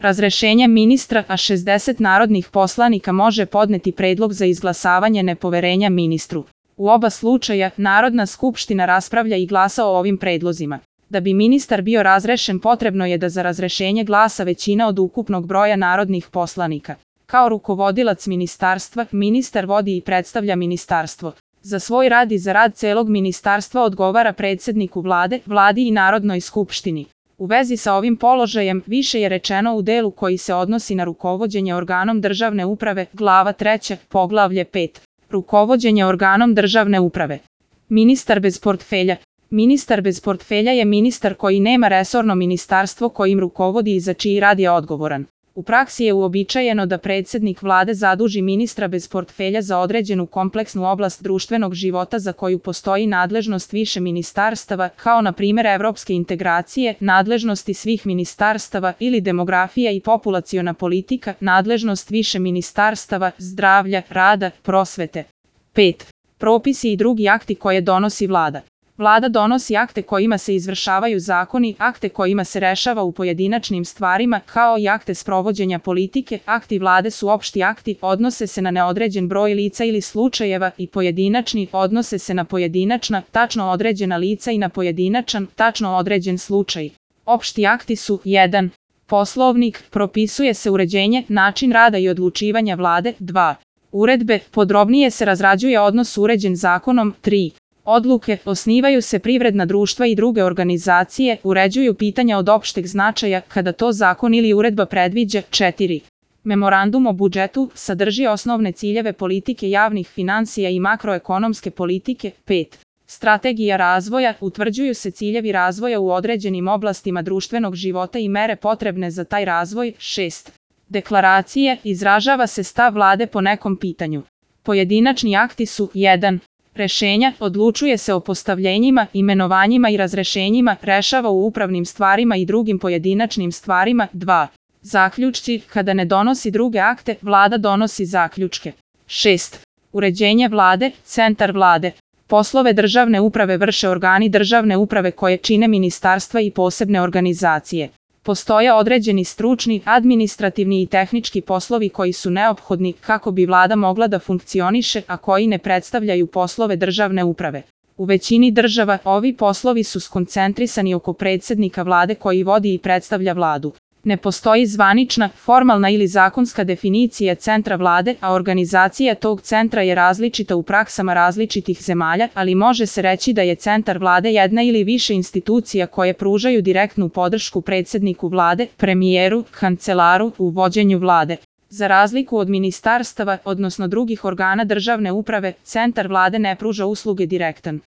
Razrešenjem ministra, a 60 narodnih poslanika može podneti predlog za izglasavanje nepoverenja ministru. U oba slučaja, Narodna skupština raspravlja i glasa o ovim predlozima. Da bi ministar bio razrešen, potrebno je da za razrešenje glasa većina od ukupnog broja narodnih poslanika. Kao rukovodilac ministarstva, ministar vodi i predstavlja ministarstvo. Za svoj rad i za rad celog ministarstva odgovara predsedniku vlade, vladi i Narodnoj skupštini. U vezi sa ovim položajem, više je rečeno u delu koji se odnosi na rukovođenje organom državne uprave, glava 3, poglavlje 5. Rukovođenje organom državne uprave. Ministar bez portfelja. Ministar bez portfelja je ministar koji nema resorno ministarstvo kojim rukovodi i za čiji rad je odgovoran. U praksi je uobičajeno da predsednik vlade zaduži ministra bez portfelja za određenu kompleksnu oblast društvenog života za koju postoji nadležnost više ministarstava, kao na primjer evropske integracije, nadležnosti svih ministarstava ili demografija i populaciona politika, nadležnost više ministarstava, zdravlja, rada, prosvete. 5. Propisi i drugi akti koje donosi vlada. Vlada donosi akte kojima se izvršavaju zakoni, akte kojima se rešava u pojedinačnim stvarima, kao i akte sprovođenja politike. Akti vlade su opšti akti, odnose se na neodređen broj lica ili slučajeva, i pojedinačni, odnose se na pojedinačna, tačno određena lica i na pojedinačan, tačno određen slučaj. Opšti akti su 1. Poslovnik, propisuje se uređenje, način rada i odlučivanja vlade. 2. Uredbe, podrobnije se razrađuje odnos uređen zakonom. 3. Odluke, osnivaju se privredna društva i druge organizacije, uređuju pitanja od opšteg značaja, kada to zakon ili uredba predviđa. 4. Memorandum o budžetu, sadrži osnovne ciljeve politike javnih finansija i makroekonomske politike. 5. Strategija razvoja, utvrđuju se ciljevi razvoja u određenim oblastima društvenog života i mere potrebne za taj razvoj. 6. Deklaracije, izražava se stav vlade po nekom pitanju. Pojedinačni akti su 1. Rešenja, odlučuje se o postavljenjima, imenovanjima i razrešenjima, rešava u upravnim stvarima i drugim pojedinačnim stvarima. 2. Zaključci, kada ne donosi druge akte, vlada donosi zaključke. 6. Uređenje vlade, centar vlade. Poslove državne uprave vrše organi državne uprave koje čine ministarstva i posebne organizacije. Postoje određeni stručni, administrativni i tehnički poslovi koji su neophodni kako bi vlada mogla da funkcioniše, a koji ne predstavljaju poslove državne uprave. U većini država ovi poslovi su skoncentrisani oko predsednika vlade koji vodi i predstavlja vladu. Ne postoji zvanična, formalna ili zakonska definicija centra vlade, a organizacija tog centra je različita u praksama različitih zemalja, ali može se reći da je centar vlade jedna ili više institucija koje pružaju direktnu podršku predsedniku vlade, premijeru, kancelaru u vođenju vlade. Za razliku od ministarstava, odnosno drugih organa državne uprave, centar vlade ne pruža usluge direktan